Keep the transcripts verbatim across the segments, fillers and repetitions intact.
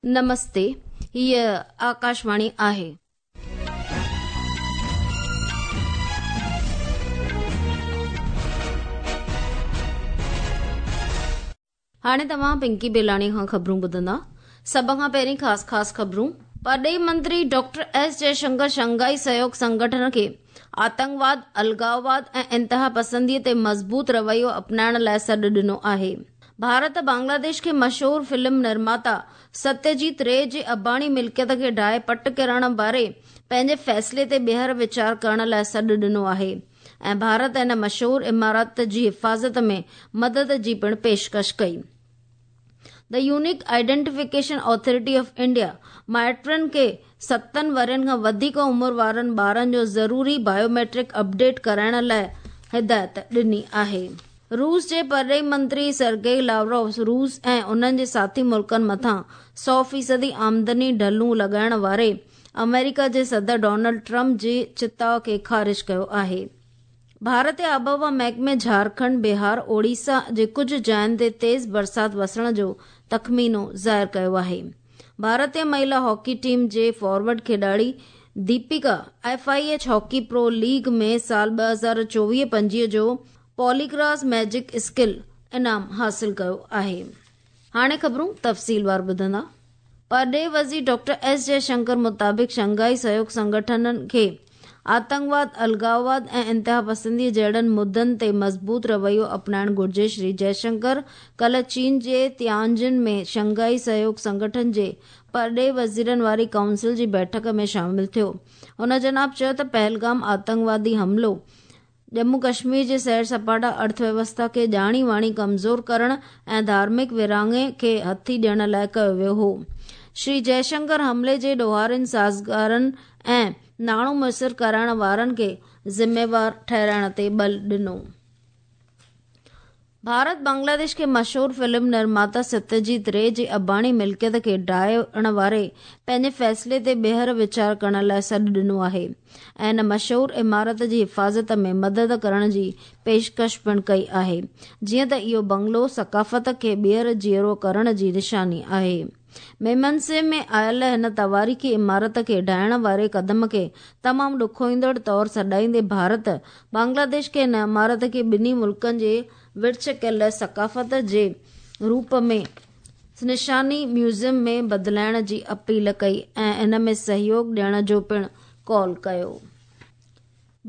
نمستي، هيء آڪاشواڻي آهي. هاڻي توهان پنڪي بيلاڻي کان خبرون ٻڌندا. سڀ کان پهرين خاص خاص خبرون. پرڏيهي منتري ڊاڪٽر ايس جئشنڪر شنگهائي سهيوگ سنگٺن کي آتنڪواد، الغاوواد ۽ انتهاپسندي تي مضبوط رويو اپنائڻ لاء سڏ ڏنو آهي. ڀارت بنگلاديش کي مشهور فلم نرماتا ستيجيت ري جي اباڻي ملڪيت کي ڊاهي پٽ ڪرڻ واري پنهنجي فيصلي تي ٻيهر ويچار ڪرڻ لاء سڏ ڏنو آهي ۽ ڀارت ان مشهور عمارت جي حفاظت ۾ مدد جي پڻ پيشڪش ڪئي. The unique identification authority of India مائٽن کي ستن ورهين کان وڌيڪ عمر وارن ٻارن جو ضروري بايوميٽرڪ اپڊيٽ ڪرائڻ لاء هدايت ڏني آهي. روس جي پرڏيهي منتري سرگئي لاوروف روس ۽ انهن جي ساٿي ملڪن مٿان سؤ فيصدي آمدني ڍلون لڳائڻ واري آمريڪا جي صدر ڊونلڊ ٽرمپ جي چتاء کي خارج ڪيو آهي. ڀارتي آبهوا محڪمي جهارکنڊ، بهار، اوڙيسا جي ڪجهه جاين تي تيز برسات وسڻ جو تخمينو ظاهر ڪيو آهي. ڀارتي مهلا هاڪي ٽيم جي forward کيڏاڙي Deepika F I H hockey pro league ۾ سال ٻه هزار چوويهه پنجويهه جو پاليگراس ميجڪ اسڪل انعام حاصل ڪيو آهي. هاڻي خبرون تفصيلوار ٻڌندا. پرڏيهي وزير ڊاڪٽر ايس جئشنڪر مطابق شنگهائي سهيوگ سنگٺن کي آتنڪواد، الغاوواد ۽ انتهاپسندي جهڙن مدعن تي مضبوط رويو اپنائڻ گهرجي. شري جئشنڪر ڪالهه چين جي تيانجن ۾ شنگهائي سهيوگ سنگٺن جي پرڏيهي وزيرن واري ڪائونسل جي بيٺڪ ۾ شامل ٿيو. هن جناب چيو ته پهلگام آتنڪوادي حملو ڄمون ڪشمير جي سير سپاٽا ارٿويوسٿا کي ڄاڻي واڻي ڪمزور ڪرڻ ۽ ڌارمڪ ورهاڱي کي هٿي ڏيڻ لاء ڪيو ويو هو. شري جئشنڪر حملي جي ڏوهارين، سازگارن ۽ ناڻو ميسر ڪرائڻ وارن کي ذميوار ٺهرائڻ تي ٻل ڏنو. ڀارت بنگلاديش کي مشهور فلم نرماتا ستيجيت ري جي اباڻي ملڪيت کي ڊاهڻ واري پنهنجي فيصلي تي ٻيهر ويچار ڪرڻ لاء سڏ ڏنو آهي ۽ ان مشهور عمارت جي حفاظت ۾ مدد ڪرڻ جي پيشڪش پڻ ڪئي آهي، جيئن ته اهو بنگلو ثقافت کي ٻيهر جيئرو ڪرڻ جي نشاني آهي. ميمنسي ۾ آيل هن تواريخي عمارت کي ڊاهڻ واري قدم کي تمام ڏکوئيندڙ طور سڏائيندي ڀارت بنگلاديش کي هن عمارت کي ٻنهي ملڪن جي ورڇ ڪيل ثقافت جي روپ ۾ نشاني ميوزيم ۾ بدلائڻ جي اپيل ڪئي ۽ ان ۾ سهيوگ ڏيڻ جو پڻ قول ڪيو.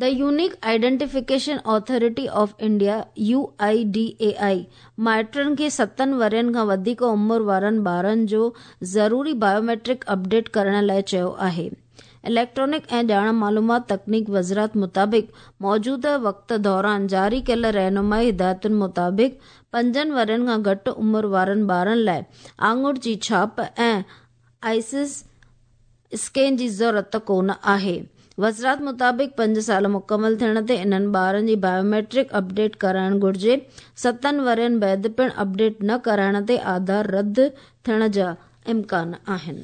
The unique identification authority of India U I D A I مائٽن کي ستن ورهين کان وڌيڪ عمر وارن ٻارن جو ضروري بايوميٽرڪ اپڊيٽ ڪرڻ لاء چيو آهي. اليڪٽرانڪ ۽ ڄاڻ معلومات تڪنيڪ وزارت مطابق موجوده وقت دوران جاري ڪيل رهنمائي هدايتن مطابق پنجن ورهين کان گهٽ عمر وارن ٻارن لاء آڱر جي ڇاپ ۽ آئسس اسڪين جي ضرورت ڪونه آهي. وزارت مطابق پنج سال مڪمل ٿيڻ تي انهن ٻارن جي بايوميٽرڪ اپڊيٽ ڪرائڻ گهرجي. ستن ورهين بعد پڻ اپڊيٽ نه ڪرائڻ تي آڌار رد ٿيڻ جا امڪان آهن.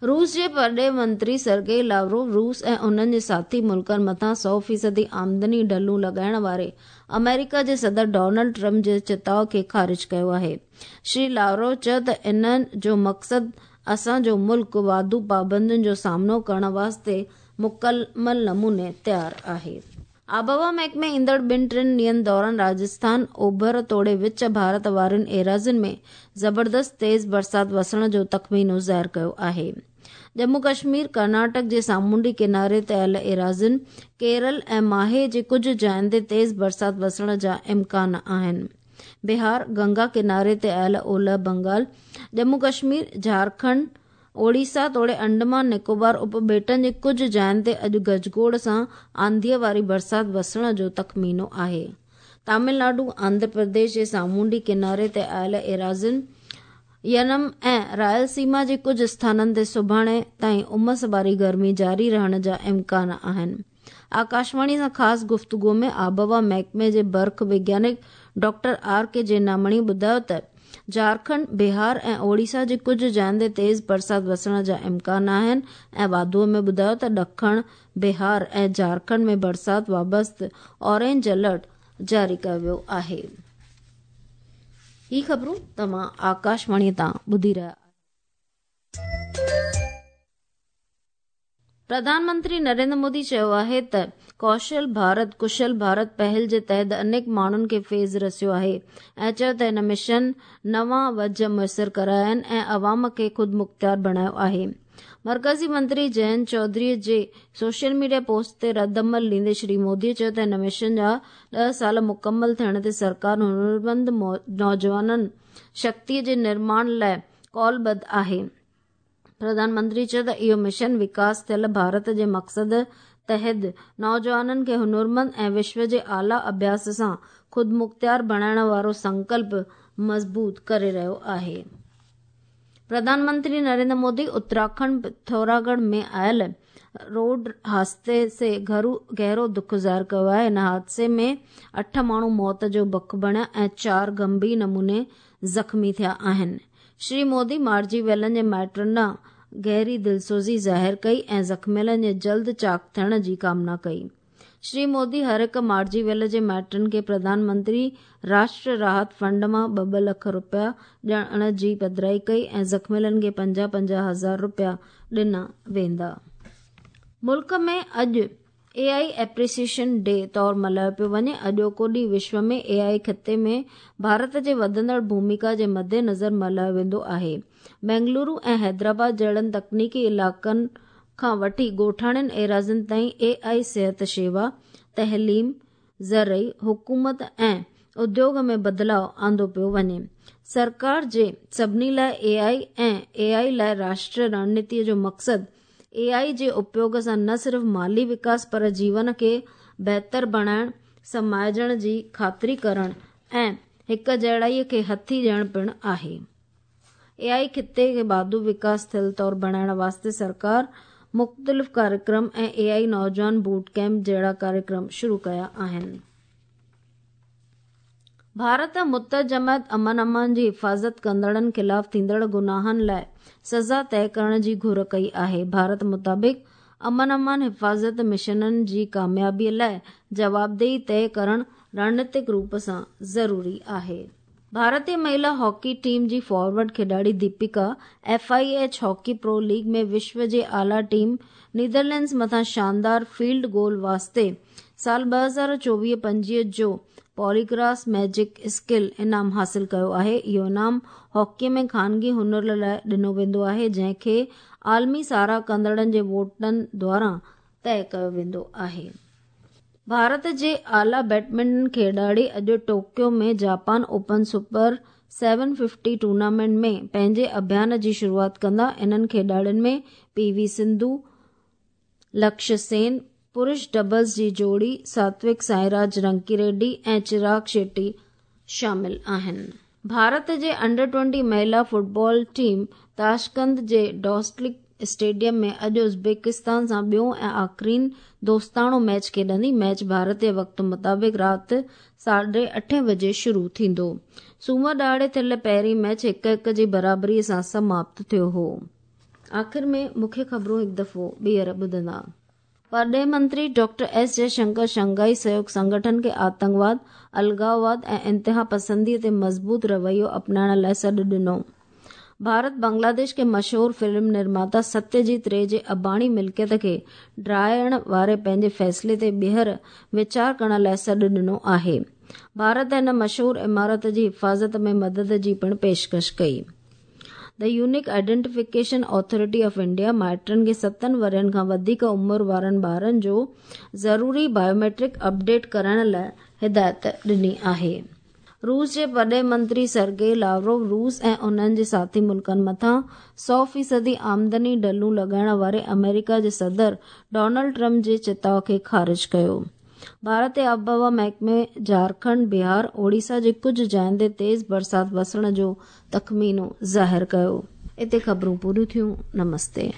روس جي پرڏيهي منتري سرگئي لاوروف روس ۽ انهن جي ساٿي ملڪن مٿان سؤ فيصدي آمدني ڍلون لڳائڻ واري آمريڪا جي صدر ڊونلڊ ٽرمپ جي چتاء کي خارج ڪيو آهي. شري لاوروف چيو ته انهن جو مقصد اسان جو ملڪ واڌو پابندين جو سامنو ڪرڻ واسطي مڪمل نموني تيار آهي. آبهوا محڪمي ايندڙ ٻن ٽن ڏينهن دوران راجسٿان، اوڀر توڙي وچ ڀارت وارين ايراضين ۾ زبردست تيز برسات وسڻ جو تخمينو ظاهر ڪيو آهي. ڄمون ڪشمير، ڪرناٽڪ جي سامونڊي ڪناري تي آيل ايراضين، ڪيرل ۽ ماهي جي ڪجهه جاين تي تيز برسات وسڻ جا امڪان آهن. بهار، گنگا ڪناري تي آيل اولهه بنگال، ڄمون ڪشمير، جهارکنڊ، اوڙيسا توڙي انڊمان نڪوبار اپٻيٽن جي ڪجهه جاين تي اڄ گجگوڙ سان آنڌيءَ واري برسات وسڻ جو تخمينو آهي. تامل ناڊو، آنڌرا پرديش جي سامونڊي ڪناري تي آيل ايراضين، ينم ۽ رائل سيما جي ڪجهه اسٿانن تي سڀاڻي تائين امس واري گرمي جاري رهڻ جا امڪان آهن. آڪاشواڻي سان خاص گفتگو ۾ آبهوا محڪمي جي برک وگيانڪ ڊاڪٽر آر ڪي جينامڻي ٻڌايو ته جهارکنڊ، بهار ۽ اوڙيسا جي ڪجهه جاين تي تيز برسات وسڻ جا امڪان آهن ۽ واڌوءَ ۾ ٻڌايو ته ڏکڻ بهار ۽ جهارکنڊ ۾ برسات وابسته اورينج الرٽ جاري ڪيو ويو آهي. هي خبرون توهان آڪاشواڻي تان ٻڌي رهيا. प्रधानमंत्री नरेंद्र मोदी चयो आहे त कौशल भारत कुशल भारत पहल जे तहत अनेक माण्हुनि खे फैज़ रसियो आहे ऐं चयो त हिन मिशन नवां वज मुयसर कराया आहिनि ऐं अवाम खे ख़ुदि मुख़्तियार बणायो आहे। मर्कज़ी मंत्री जयंत चौधरी जे सोशल मीडिया पोस्ट ते रद्द-अमल ॾींदे श्री मोदी चयो त हिन मिशन जा ॾह साल मुकमल थियण ते सरकार हुनरमंद नौजवाननि शक्तीअ जे निर्माण लाइ कौलबद्ध आहे। प्रधानमंत्री चयो त इहो मिशन विकास थियल भारत जे मक़सद तहत नौजवाननि खे हुनरमंद ऐं विश्व जे आला अभ्यास सां ख़ुदि मुख़्तियार बणाइण वारो संकल्प मज़बूत करे रहियो आहे। प्रधानमंत्री नरेंद्र मोदी उत्तराखंड पिथौरागढ़ में आयल रोड हादसे से गहरो दुख ज़ाहिर कयो आहे। हिन हादसे में अठ माण्हू मौत जो बक बणिया ऐं चारि गंभीर नमूने ज़ख़्मी थिया आहिनि। श्री मोदी मारिजी वियलनि जे माइटनि ॾांहुं गहरी दिलसोज़ी ज़ाहिर कई ऐं ज़ख़्मियलनि जे जल्द चाक़ थियण जी कामना कई। श्री मोदी हर हिकु मारिजी वियल जे माइटनि खे प्रधानमंत्री राष्ट्र राहत फंड मां ॿ ॿ लख रुपया ॾियण जी पधराई कई ऐं ज़ख़्मियलनि खे पंजाह पंजाह हज़ार रुपया ॾिना वेंदा। मुल्क में अॼु ए आई एप्रीसिएशन डे तौर मल्हायो पियो वञे। अॼोको ॾींहुं विश्व में ए आई ख़िते में भारत जे वधंदड़ भूमिका जे मद्देनज़र मल्हायो वेंदो आहे। बेंगलुरु ऐं हैदराबाद जहिड़नि तकनीकी इलाइक़नि खां वठी ॻोठाणनि एराज़ियुनि ताईं ए आई सिहत शेवा, तइलीम, ज़रई, हुकूमत ऐं उद्योग में बदिलाव आंदो पियो वञे। सरकार जे सभिनी लाइ ए आई ऐं ए आई लाइ राष्ट्रीय रणनीतीअ जो मक़सदु ए आई जे उपयोग सां न सिर्फ़ माली विकास पर जीवन खे बहितर बणाइण, समाइजण जी ख़ातिरी करण ऐं हिक जहिड़ाईअ खे हथी ॾियण पिणु आहे। ए आई ख़िते खे बाधू विकास थियल तौर बणाइण वास्ते सरकार मुख़्तलिफ़ कार्यक्रम ऐं ए आई नौजवान बूट कैंप जहिड़ा कार्यक्रम शुरू कया आहिनि। भारत मुत्तहिद जमायत अमन अमान जी हिफ़ाज़त कंदड़नि ख़िलाफ़ थींदड़ गुनाहनि लाइ सज़ा तय करण जी घुर कई आहे। भारत मुताबिक़ अमन अमान हिफ़ाज़त मिशननि जी कामयाबीअ लाइ जवाबदेही तय करण रणनीतिक रूप सां ज़रूरी आहे। भारतीय महिला हॉकी टीम जी फॉरवर्ड खिॾाड़ी Deepika F I H hockey pro league में विश्व जे आला टीम नीदरलैंड्स मथां शानदार फील्ड गोल वास्ते साल ॿ हज़ार चोवीह पंजवीह जो पॉलीग्रास मैजिक स्किल इनाम हासिल कयो आहे। इहो इनाम हॉकी में ख़ानगी हुनर लाइ ॾिनो वेंदो आहे, जंहिंखे आलमी साराह कंदड़नि जे वोटनि द्वारा तय कयो वेंदो आहे। भारत जे आला बैडमिंटन खिॾाड़ी अॼु Tokyo में Japan open super seven fifty tournament में पंहिंजे अभियान जी शुरूआत कंदा। इन्हनि खिॾाड़ियुनि में पी वी सिंधु, लक्ष्य सेन, पुरुष डबल्स जी जोड़ी सात्विक साईराज रंकी रेड्डी ऐं चिराग शेट्टी शामिल आहिनि। भारत जे अंडर ट्वेंटी महिला फुटबॉल टीम ताशकंद जे डॉस्टलिक स्टेडियम में अॼु उज़्बेकिस्तान सां ॿियो ऐं आख़िरीन दोस्ताणो मैच खेॾंदी। मैच भारतीय वक़्त मुताबिक़ राति साढे अठे बजे शुरू थींदो। सूमर ॾिहाड़े थियल पहिरीं मैच हिकु हिकु जी बराबरीअ सां समाप्त थियो हो। आख़िर में मुख्य ख़बरूं हिकु दफ़ो ॿीहर ॿुधंदा। परॾेह मंत्री डॉक्टर एस जयशंकर शंघाई सहयोग संगठन खे आतंकवाद, अलगाववाद ऐं इंतिहा पसंदीअ ते मज़बूत रवैयो अपनाइण लाइ सॾु ॾिनो। भारत बांग्लादेश के मशहूर फिल्म निर्माता सत्यजीत रे जे अबाणी मिल्कियत खे ड्राइण वारे पंहिंजे फ़ैसिले ते ॿीहर वीचार करण लाइ सॾु ॾिनो आहे। भारत हिन मशहूर इमारत जी हिफ़ाज़त में मदद जी पिणु पेशकश कई। The unique identification authority of India माइटनि खे सतनि वरनि खां वधीक उमिरि वारनि ॿारनि जो ज़रूरी बायोमेट्रिक अपडेट करण लाइ हिदायत ॾिनी आहे। रूस जे वॾे मंत्री सर्गेई लावरोव रूस ऐं उन्हनि जे साथी मुल्कनि मथां सौ फ़ीसदी आमदनी ढलूं लॻाइण वारे अमेरिका जे सदर डोनाल्ड ट्रंप जे चिताव खे ख़ारिज कयो। भारत आबहवा महकमे झारखंड, बिहार, ओडिशा जे कुझु जाइनि ते तेज़ बरसाति वसण जो तख़मीनो ज़ाहिर कयो। हिते ख़बरूं पूरियूं थियूं। नमस्ते।